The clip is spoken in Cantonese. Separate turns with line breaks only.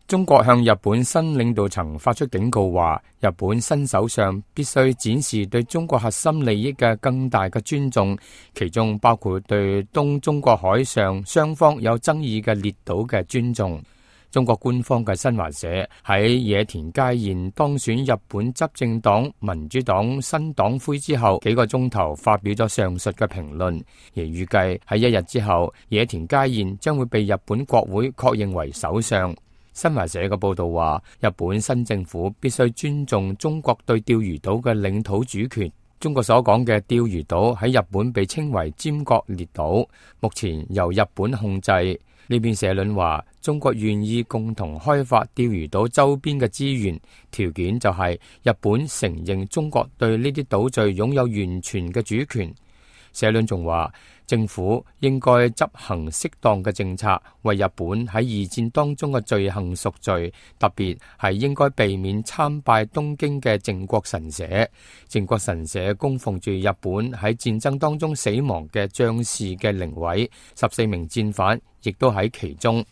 中國向日本新領導層發出警告，話日本新首相必須展示對中國核心利益嘅更大嘅尊重，其中包括對東中國海上雙方有爭議嘅列島嘅尊重。中國官方嘅新華社喺野田佳彥當選日本執政黨民主黨新黨魁之後幾個鐘頭發表咗上述嘅評論，而預計喺一日之後，野田佳彥將會被日本國會確認為首相。新華社嘅報道話，日本新政府必須尊重中國對釣魚島嘅領土主權。中國所講嘅釣魚島喺日本被稱為尖閣列島，目前由日本控制。呢邊社論話，中國願意共同開發釣魚島周邊嘅資源，條件就係日本承認中國對呢啲島嶼擁有完全嘅主權。社論仲話，政府應該執行適當嘅政策，為日本喺二戰當中嘅罪行贖罪，特別係應該避免參拜東京嘅靖國神社。靖國神社供奉住日本喺戰爭當中死亡嘅將士嘅靈位，14名戰犯亦都喺其中。